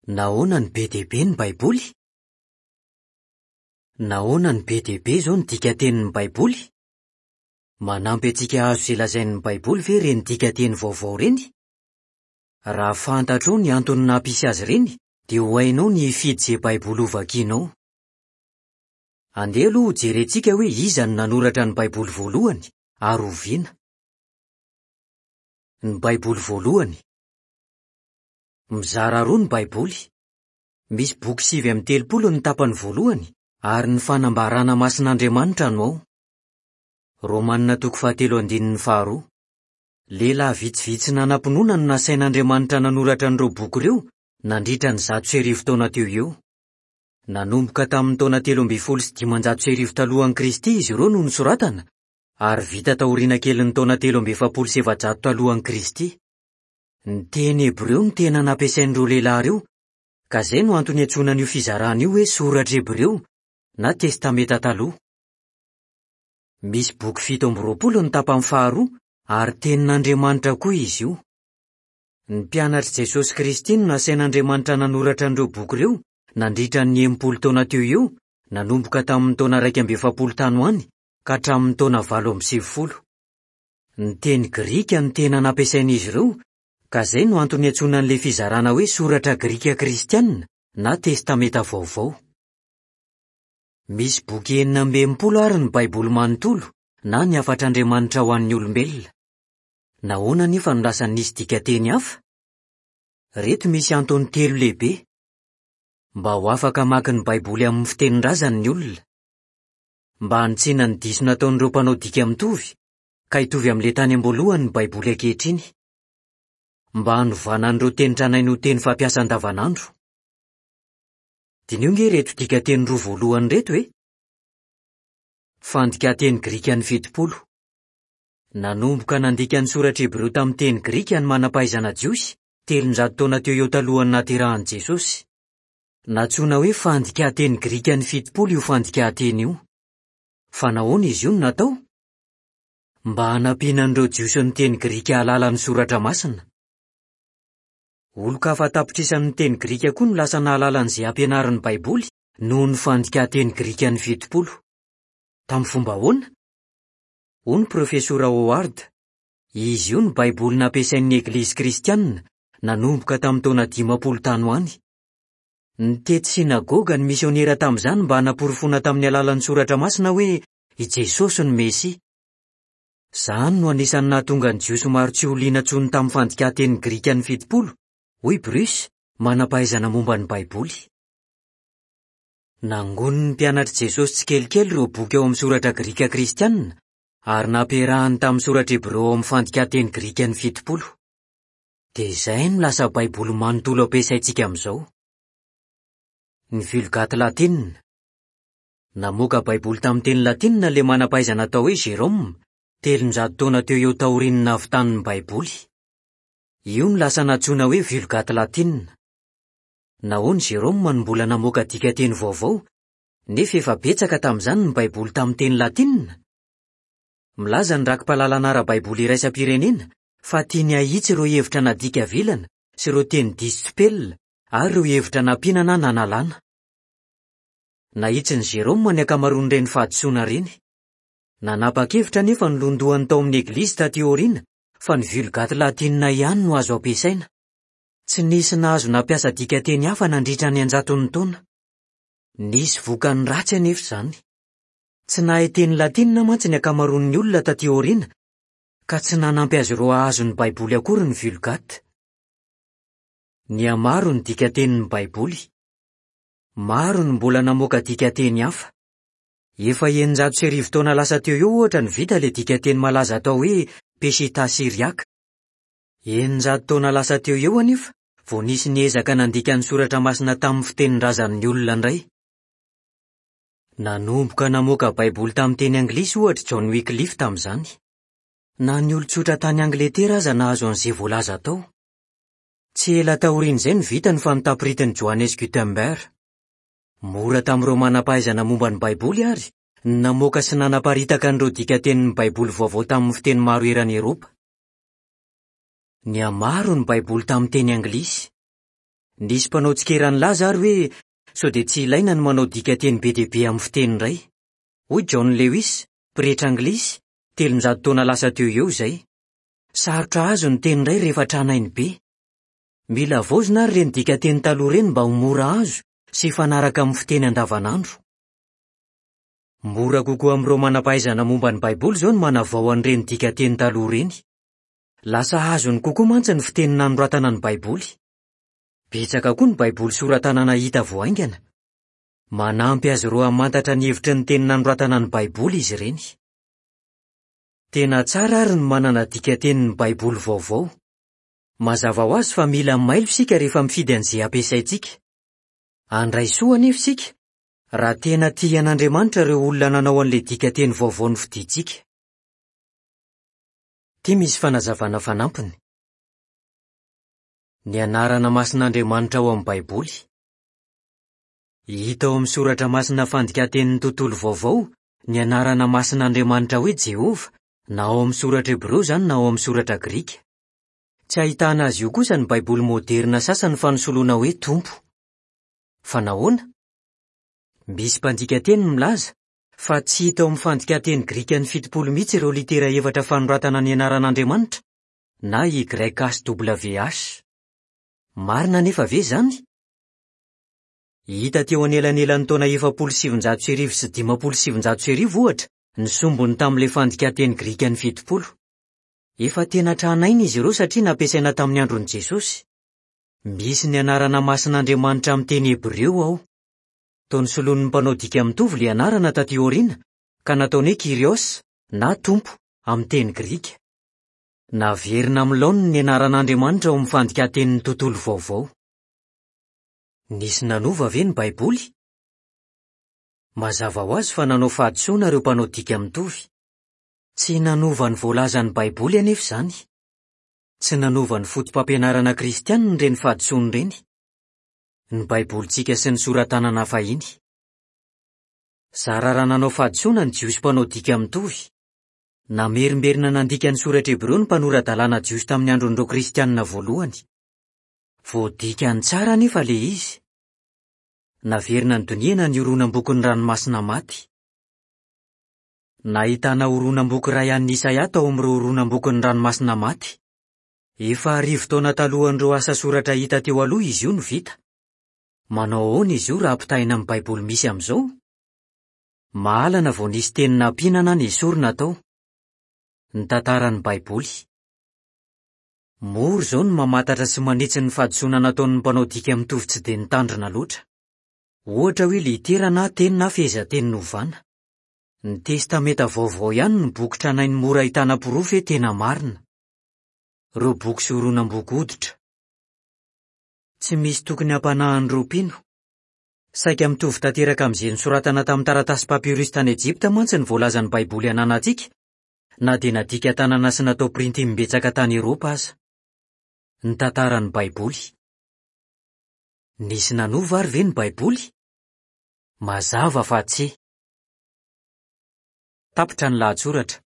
Nahoana no be dia be ny Baiboly? Nahoana no be dia be izao ny dikan-tenin'ny Baiboly? Manampy antsika hahazo izay lazain'ny Baiboly ve ireny dikan-teny vaovao ireny? Raha fantatrao ny antony nampisy azy ireny, dia ho hainao ny hifidy izay Baiboly hovakinao. Andeha aloha hojerentsika hoe iza no nanoratra ny Baiboly voalohany ary oviana. Ny Baiboly voalohany. Mizara roa ny Baiboly. Misy boky 39 ny tapany voalohany, ary ny fanambarana masin'Andriamanitra no ao. Romana toko fahatelo andininy faharoa. Lehilahy vitsivitsy nanam-pinoana no nasain'Andriamanitra nanoratra an'ireo boky ireo nandritra ny 1100 taona teo ho eo. Nanomboka tamin'ny taona 1513 talohan'i Kristy izy ireo no nosoratana, ary vita taoriana kelin'ny taona 443 talohan'i Kristy. Ny teny hebreo no tena nampiasain'ireo lehilahy ireo, ka izay no antony iantsoana an'io fizarana io hoe Soratra Hebreo na Testamenta Taloha. Misy boky 27 ny tapany faharoa ary Tenin'Andriamanitra koa izy io. Ny mpianatr'i Jesosy Kristy no nasain'Andriamanitra nanoratra an'ireo boky ireo nandritra ny 60 taona teo ho eo, nanomboka tamin'ny taona 41 tany ho any ka hatramin'ny taona 98. Ny teny grika no tena nampiasain'izy ireo, ka izay no antony iantsoana an'ilay fizarana hoe Soratra Grika Kristianina na Testamenta Vaovao. Misy boky 66 àry ny Baiboly manontolo na ny Hafatr'Andriamanitra ho an'ny olombelona. Nahoana anefa no lasa nisy dikanteny hafa? Ireto misy antony telo lehibe. Mba ho afaka hamaky ny Baiboly amin'ny fitenin-drazany ny olona. Mba hanitsiana ny diso nataon'ireo mpanao dika mitovy, ka hitovy amin'ilay tany am-boalohany ny Baiboly ankehitriny. Mba hanovana an'ireo teny tranainy ho teny fampiasa andavanandro. Diniho ange ireto dikanteny roa voalohany ireto e! Fandikan-teny grikan'ny 70. Nanomboka nandika ny soratra hebreo tamin'ny teny grika ny manam-pahaizana jiosy, 300 taona teo eo talohan'ny nahaterahan'i Jesosy. Nantsoina hoe Fandikan-teny Grikan'ny 70 io fandikan-teny io. Fa nahoana izy io no natao? Mba hanampiana an'ireo Jiosy niteny grika hahalala ny Soratra Masina. Olon-kafa an-tapitrisany niteny grika koa no lasa nahalala an'izay ampianarin'ny Baiboly noho ny Fandikan-teny Grikan'ny 70. Tamin'ny fomba ahoana? Hoy ny Profesora Howard, Izy io no Baiboly nampiasain'ny Eglizy Kristianina nanomboka tamin'ny taona 50 tany ho any. Nitety synagoga ny misionera tamin'izany mba hanaporofoana tamin'ny alalan'ny Soratra Masina hoe i Jesosy no Mesia. Izany no anisan'ny nahatonga ny Jiosy maro tsy ho liana intsony tamin'ny fandikan-teny grikan'ny 70, hoy Bruce, manam-pahaizana momba ny Baiboly. Nangonin'ny mpianatr'i Jesosy tsikelikely ireo boky ao amin'ny Soratra Grika Kristianina, ary nampiarahany tamin'ny Soratra Hebreo ao amin'ny fandikan-teny grikan'ny 70. Dia izay no lasa Baiboly manontolo ampiasaintsika amin'izao. Ny Vulgate latinina. Namoaka Baiboly tamin'ny teny latinina ilay manam-pahaizana atao hoe Jérôme, 300 taona teo eo taorian'ny nahavitany ny Baiboly. Io no lasa nantsoina hoe Vulgate latinina. Nahoana Jérôme no mbola namoaka dikanteny vaovao, nefa efa betsaka tamin'izany ny Baiboly tamin'ny teny latinina? Milaza ny Rakipahalalana Ara-baiboly Iraisam-pirenena fa tiany hahitsy ireo hevitra nadika vilana sy ireo teny diso tsipelina ary ireo hevitra nampiana na nanalana. Nahitsin'i Jérôme ny ankamaroan'ireny fahadisoana ireny. Nanapa-kevitra anefa ny lohandohany tao amin'ny Eglizy tatỳ aoriana fa ny Vulgate latinina ihany no azo ampiasaina. Tsy nisy nahazo nampiasa dikanteny hafa nandritra ny an-jatony taona. Nisy vokany ratsy anefa izany. Tsy nahay teny latinina mantsy ny ankamaroan'ny olona tatỳ aoriana, ka tsy nanampy azy ireo hahazo ny Baiboly akory ny Vulgate. Nihamaro ny dikantenin'ny Baiboly. Maro no mbola namoaka dikanteny hafa. Efa 1600 taona lasa teo eo, ohatra, no vita ilay dikanteny malaza atao hoe Peshitta syriàka. 600 taona lasa teo eo anefa vao nisy niezaka nandika ny Soratra Masina tamin'ny fitenin-drazan'ny olona indray. Nanomboka namoaka Baiboly tamin'ny teny anglisy, ohatra, John Wycliffe tamin'izany. Na ny olon-tsotra tany Angletera aza nahazo an'izay voalaza tao. Tsy ela taorian'izay no vita ny fanontam-printin'i Johannes Gutenberg. Mora tamin'ireo manam-pahaizana momba ny Baiboly àry ny namoaka sy nanaparitaka an'ireo dikan-tenin'ny Baiboly vaovao tamin'ny fiteny maro eran'i Eoropa. Nihamaro ny Baiboly tamin'ny teny anglisy. Nisy mpanao tsikera nilaza àry hoe sao dia tsy ilaina ny manao dikanteny be dia be amin'ny fiteny iray. Hoy John Lewis, pretra anglisy, 300 taona lasa teo ho eo izay. Sarotra azo ny teny iray rehefa tranainy be. Mila havaozina àry ireny dikanteny taloha ireny mba ho mora azo sy hifanaraka amin'ny fiteny andavanandro. Mora kokoa amin'ireo manam-pahaizana momba ny Baiboly izao ny manavao an'ireny dikanteny taloha ireny. Lasa azony kokoa mantsy ny fiteny nanoratana ny Baiboly. Betsaka koa ny Baiboly sora-tanana hita vao haingana. Manampy azy ireo hamantatra ny hevitry ny teny nanoratana ny Baiboly izy ireny. Tena tsara àry ny manana dikatenin'ny Baiboly vaovao. Mazava ho azy fa mila mailo isika rehefa mifidy an'izay ampiasaintsika. Handray soa anefa isika, raha tena tia an'Andriamanitra ireo olona nanao an'ilay dikanteny vaovao nofidintsika. Ity misy fanazavana fanampiny. Ny anarana masin'Andriamanitra ao amin'ny Baiboly. Hita ao amin'ny Soratra Masina Fandikan-tenin'ny Tontolo Vaovao ny anarana masin'Andriamanitra hoe Jehovah, na ao amin'ny soratra hebreo izany na ao amin'ny soratra grika. Tsy ahitana azy io kosa ny Baiboly moderina sasany fa nosoloana hoe Tompo. Fa nahoana? Misy mpandika teny milaza fa tsy hita ao amin'ny fandikan-teny grikan'ny 70 mihitsy ireo litera efatra fanoratana ny anaran'Andriamanitra, na YHWH. Marina anefa ve izany? Hita teo anelanelan'ny taona 1940 sy 1950, ohatra, ny sombiny tamin'ilay fandikan-teny grikan'ny 70. Efa tena tranainy izy ireo satria nampiasaina tamin'ny andron'i Jesosy. Misy ny anarana masin'Andriamanitra amin'ny teny hebreo ao. Toa nosoloin'ny mpanao dika mitovy ilay anarana tatỳ aoriana, ka nataony hoe Kyrios, na Tompo, amin'ny teny grika. Naverina amin'ny laoniny ny anaran'Andriamanitra ao amin'ny Fandikan-tenin'ny Tontolo Vaovao. Nisy nanova ve ny Baiboly? Mazava ho azy fa nanao fahadisoana ireo mpanao dika mitovy. Tsy nanova ny voalazan'ny Baiboly anefa izany. Tsy nanova ny foto-pampianarana kristianina ireny fahadisoana ireny. Ny Baibolintsika sy ny sora-tanana fahiny. Zara raha nanao fahadisoana ny Jiosy mpanao dika mitovy. Namerimberina nandika ny soratra hebreo ny mpanora-dalàna jiosy tamin'ny andron'ireo Kristianina voalohany. Voadikany tsara anefa ilay izy. Naverina nodinihana ny horonam-bokin'ny Ranomasina Maty. Nahitana horonam-boky iray an'i Isaia tao amin'ireo horonam-bokin'ny Ranomasina Maty. Efa arivo taona talohan'ireo asa soratra hita teo aloha izy io no vita. Manao ahoana izy io raha ampitahaina amin'ny Baiboly misy amin'izao? Mahalana vao nisy teny nampiana na nesorina tao. Ny tantaran'ny Baiboly. Mora izao ny mamantatra sy manitsy ny fahadisoana nataon'ny mpanao dika mitovy tsy dia nitandrina loatra. Ohatra hoe litera na teny na fehezanteny novana. Ny Testamenta Vaovao ihany no boky tranainy mora ahitana porofo hoe tena marina. Ireo boky sy horonam-boky hoditra. Tsy misy tokony hampanahy an'ireo mpino. Saika mitovy tanteraka amin'izay nosoratana tamin'ny taratasy papyrus tany Ejipta mantsy ny voalazan'ny Baiboly ananantsika, na dia nadika tanana sy natao printy imbetsaka tany Eoropa aza. Ny tantaran'ny Baiboly. Nisy nanova ary ve ny Baiboly? Mazava fa tsia. Tapitra ny lahatsoratra.